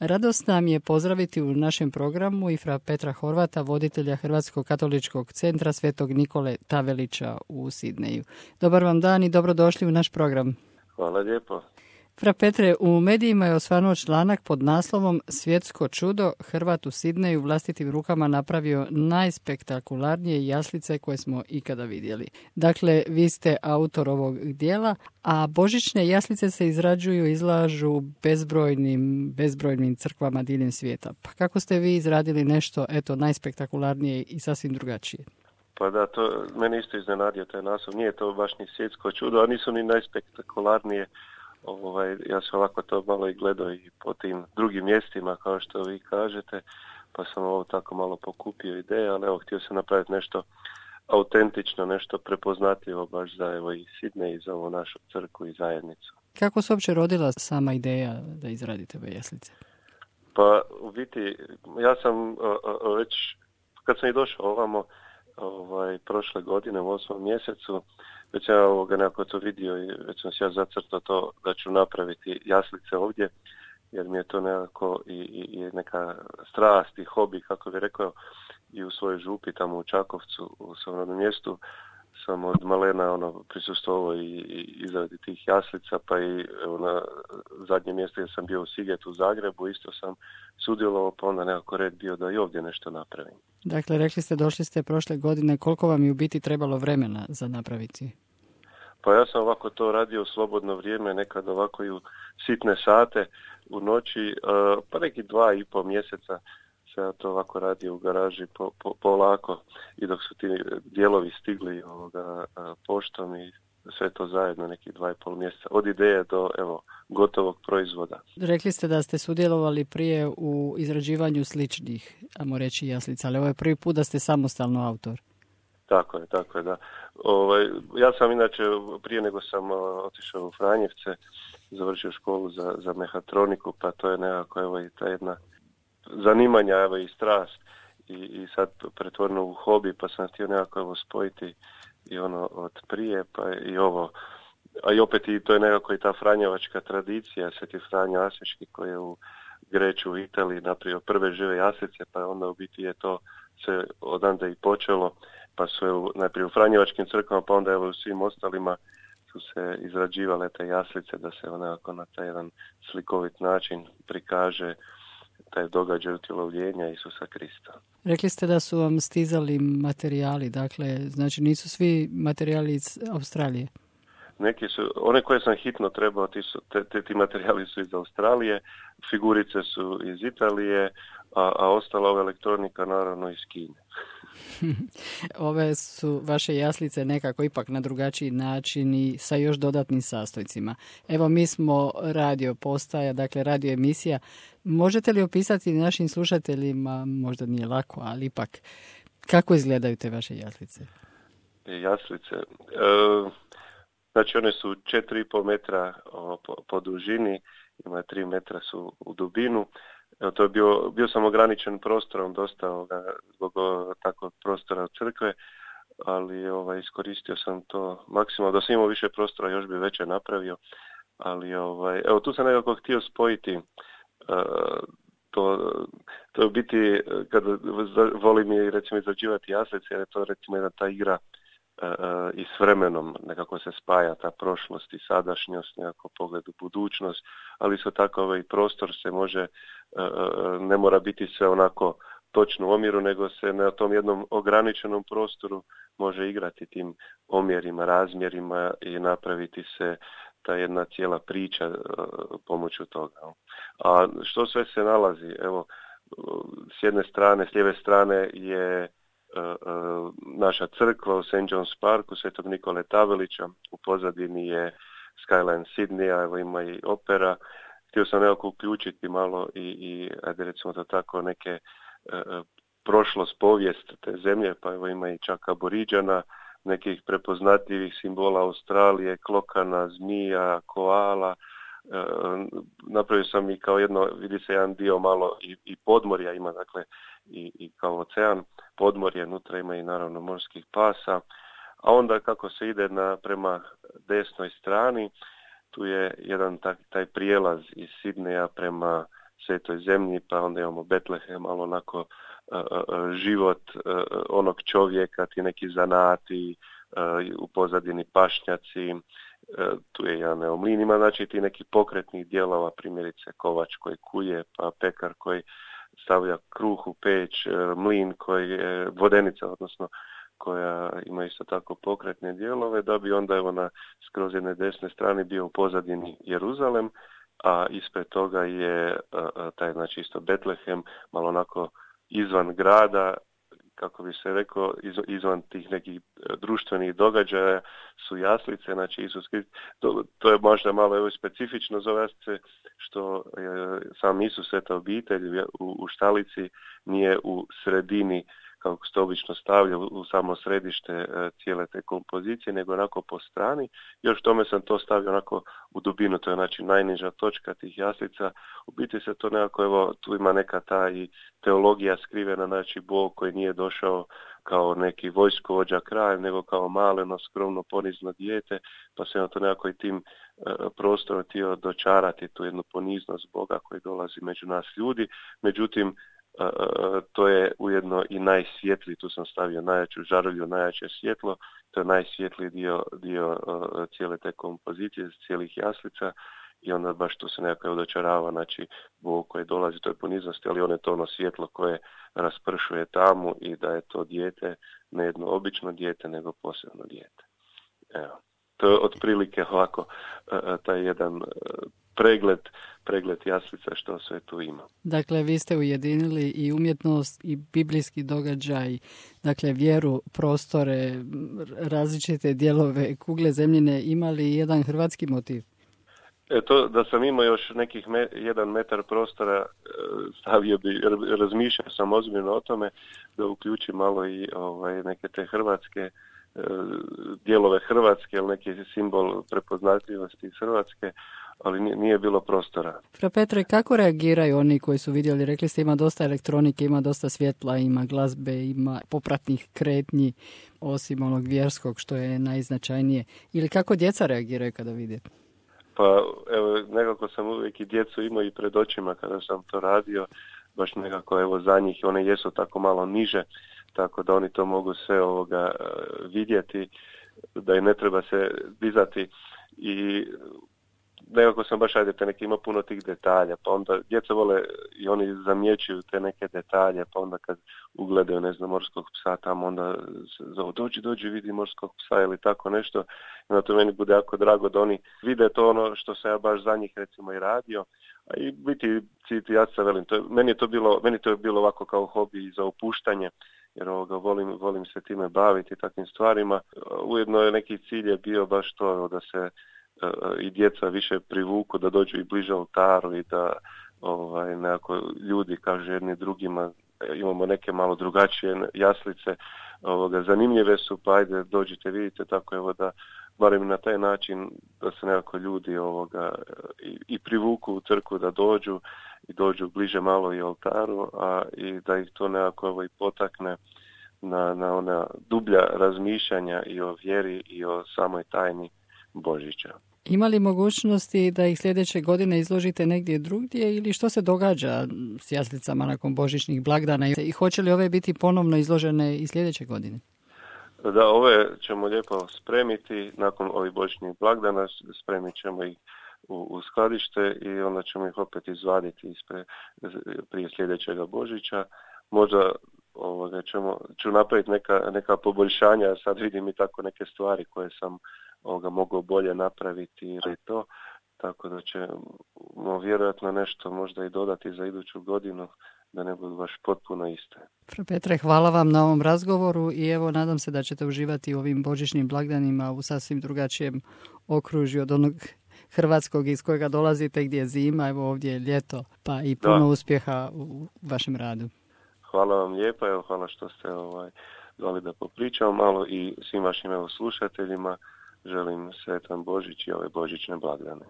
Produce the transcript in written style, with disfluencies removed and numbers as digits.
Radost nam je pozdraviti u našem programu i fra Petra Horvata, voditelja Hrvatskog katoličkog centra Svetog Nikole Tavelića u Sidneju. Dobar vam dan i dobrodošli u naš program. Hvala lijepo. Fra Petre, u medijima je osvanuo članak pod naslovom Svjetsko čudo, Hrvat u Sidneju vlastitim rukama napravio najspektakularnije jaslice koje smo ikada vidjeli. Dakle, vi ste autor ovog dijela, a božićne jaslice se izrađuju i izlažu bezbrojnim crkvama diljem svijeta. Pa kako ste vi izradili nešto, najspektakularnije i sasvim drugačije? Pa da, to mene isto iznenadio taj naslov. Nije to baš ni svjetsko čudo, a nisu ni najspektakularnije. Ja sam ovako to malo i gledao i po tim drugim mjestima, kao što vi kažete, pa sam ovo tako malo pokupio ideje, ali htio sam napraviti nešto autentično, nešto prepoznatljivo baš za i Sidnej i za ovu našu crkvu i zajednicu. Kako se uopće rodila sama ideja da izradite ove jaslice? Pa u biti, ja sam već, kad sam i došao ovamo, prošle godine u 8. mjesecu, već sam nekako to vidio i već sam se ja zacrtao to da ću napraviti jaslice ovdje, jer mi je to nekako i neka strast i hobi, kako bih rekao, i u svojoj župi tamo u Čakovcu, u svom rodnom mjestu, sam od malena prisustvovao i izradi tih jaslica, pa i na zadnje mjesto gdje sam bio u Sigetu u Zagrebu, isto sam sudjelovao, pa onda nekako red bio da i ovdje nešto napravim. Dakle, rekli ste, došli ste prošle godine, koliko vam je u biti trebalo vremena za napraviti? Pa ja sam ovako to radio u slobodno vrijeme, nekad ovako i u sitne sate u noći, pa neki 2,5 mjeseca se ja to ovako radio u garaži polako i dok su ti dijelovi stigli poštom i sve to zajedno neki 2,5 mjeseca, od ideje do gotovog proizvoda. Rekli ste da ste sudjelovali prije u izrađivanju sličnih, ajmo reći, jaslica, ali ovo je prvi put da ste samostalno autor. Tako je, da. Ja sam inače, prije nego sam otišao u Franjevce, završio školu za mehatroniku, pa to je nekako i ta jedna zanimanja i strast i sad pretvoreno u hobi, pa sam htio nekako spojiti i od prije, pa i ovo. A i opet to je nekako i ta franjevačka tradicija, Sveti Franjo Asiški koji je u Greču u Italiji napravio prve žive jaslice, pa onda u biti je to se odande i počelo, pa su najprije u franjevačkim crkvama, pa onda u svim ostalima su se izrađivale te jaslice da se onako na taj jedan slikovit način prikaže taj događaj utjelovljenja Isusa Krista. Rekli ste da su vam stizali materijali, dakle, znači nisu svi materijali iz Australije? Neki su, one koje sam hitno trebao, ti materijali su iz Australije, figurice su iz Italije, a ostala ova elektronika naravno iz Kine. Ove su vaše jaslice nekako ipak na drugačiji način i sa još dodatnim sastojcima. Evo, mi smo radio postaja, dakle radio emisija. Možete li opisati našim slušateljima, možda nije lako, ali ipak, kako izgledaju te vaše jaslice? Jaslice? Znači one su 4,5 metra po dužini, ima 3 metra su u dubinu. To je bio sam ograničen prostorom dosta zbog takvog prostora crkve, ali iskoristio sam to maksimalno. Da sam imao više prostora još bi veće napravio, ali tu sam nekako htio spojiti to je u biti kad volim i recimo izrađivati jaslice, jer je to recimo jedna ta igra i s vremenom nekako se spaja ta prošlost i sadašnjost, nekako pogled u budućnost, ali isto tako prostor se može, ne mora biti sve onako točno u omjeru, nego se na tom jednom ograničenom prostoru može igrati tim omjerima, razmjerima i napraviti se ta jedna cijela priča pomoću toga. A što sve se nalazi? Evo, s jedne strane, s lijeve strane je naša crkva u St. John's Parku, Svetog Nikole Tavelića, u pozadini je Skyline Sidneya, evo ima i opera. Htio sam nekako uključiti malo i ajde recimo to tako, neke prošlost, povijest te zemlje, pa evo ima i čak aboriđana, nekih prepoznatljivih simbola Australije, klokana, zmija, koala. Napravio sam i kao jedno, vidi se jedan dio malo i podmorja ima, dakle i kao ocean, podmorje, unutra ima i naravno morskih pasa, a onda kako se ide prema desnoj strani, tu je jedan taj prijelaz iz Sidneja prema Svetoj zemlji, pa onda imamo Betlehem, malo onako život onog čovjeka, ti neki zanati, u pozadini pašnjaci, tu je jedan mlin, ima znači ti neki pokretnih dijelova, primjerice kovač koji kuje, pa pekar koji stavlja kruh u peć, mlin koji je vodenica, odnosno koja ima isto tako pokretne dijelove, da bi onda evo na skroz jedne desne strani bio u pozadini Jeruzalem, a ispred toga je taj znači isto Betlehem, malo onako izvan grada, kako bi se rekao, izvan tih nekih društvenih događaja su jaslice, znači Isus Krist. To je možda malo evo specifično za jaslice, što sam Isus, sveta obitelj u štalici nije u sredini, kako se to obično stavlja u samo središte cijele te kompozicije, nego onako po strani. Još tome sam to stavio onako u dubinu, to je znači najniža točka tih jaslica. U biti se to nekako, evo, tu ima neka ta i teologija skrivena, znači Bog koji nije došao kao neki vojskovođa kralj, nego kao maleno, skromno, ponizno dijete, pa se na to nekako i tim prostorom htio dočarati tu jednu poniznost Boga koji dolazi među nas ljudi. Međutim, to je ujedno i najsvjetliji, tu sam stavio najjaču žarulju, najjače svjetlo, to je najsvjetliji dio cijele te kompozicije, cijelih jaslica, i onda baš tu se nekako dočarava, znači Bog koji dolazi, to je poniznosti, ali on je to ono svjetlo koje raspršuje tamu i da je to dijete, ne jedno obično dijete, nego posebno dijete. Evo. To je otprilike ovako taj jedan pregled jaslica što sve tu ima. Dakle, vi ste ujedinili i umjetnost i biblijski događaj, dakle vjeru, prostore, različite dijelove kugle zemljine, imali jedan hrvatski motiv? To da sam imao još nekih 1 metar prostora, stavio bi, razmišljao sam ozbiljno o tome da uključim malo i neke te hrvatske dijelove Hrvatske, ili neki simbol prepoznatljivosti iz Hrvatske, ali nije bilo prostora. Fra Petre, kako reagiraju oni koji su vidjeli? Rekli ste ima dosta elektronike, ima dosta svjetla, ima glazbe, ima popratnih kretnji, osim onog vjerskog što je najznačajnije. Ili kako djeca reagiraju kada vide? Pa evo, nekako sam uvijek i djecu imao i pred očima kada sam to radio, baš nekako evo za njih, one jesu tako malo niže, tako da oni to mogu sve vidjeti, da i ne treba se dizati, i nekako sam baš neki ima puno tih detalja, pa onda djeca vole i oni zamjećuju te neke detalje, pa onda kad ugledaju, ne znam, morskog psa tamo, onda zovu, dođi vidi morskog psa ili tako nešto, i onda to meni bude jako drago da oni vide to ono što sam ja baš za njih recimo i radio, a i biti ja se velim, meni to je bilo ovako kao hobi za opuštanje, jer volim se time baviti takvim stvarima. Ujedno je neki cilj je bio baš to da se i djeca više privuku, da dođu i bliže oltaru i da nekako ljudi kažu jedni drugima, imamo neke malo drugačije jaslice, zanimljive su, pa ajde dođite vidite, tako evo da barem na taj način da se nekako ljudi i privuku u crkvu, da dođu bliže malo i oltaru, a i da ih to nekako i potakne na ona dublja razmišljanja i o vjeri i o samoj tajni Božića. Ima li mogućnosti da ih sljedeće godine izložite negdje drugdje, ili što se događa s jaslicama nakon božićnih blagdana i hoće li ove biti ponovno izložene i sljedeće godine? Da, ove ćemo lijepo spremiti nakon ovih božićnih blagdana, spremit ćemo ih u skladište i onda ćemo ih opet izvaditi prije sljedećega Božića. Možda ću napraviti neka poboljšanja, sad vidim i tako neke stvari koje sam mogao bolje napraviti ili to, tako da ćemo vjerojatno nešto možda i dodati za iduću godinu, da ne budu baš potpuno iste. Fra Petre, hvala vam na ovom razgovoru i evo nadam se da ćete uživati u ovim božićnim blagdanima u sasvim drugačijem okružju od onog hrvatskog iz kojega dolazite, gdje je zima, evo ovdje je ljeto, pa i puno uspjeha u vašem radu. Hvala vam lijepa, evo hvala što ste dali da popričamo malo, i svim vašim slušateljima želim sretan Božić i ove božićne blagdane.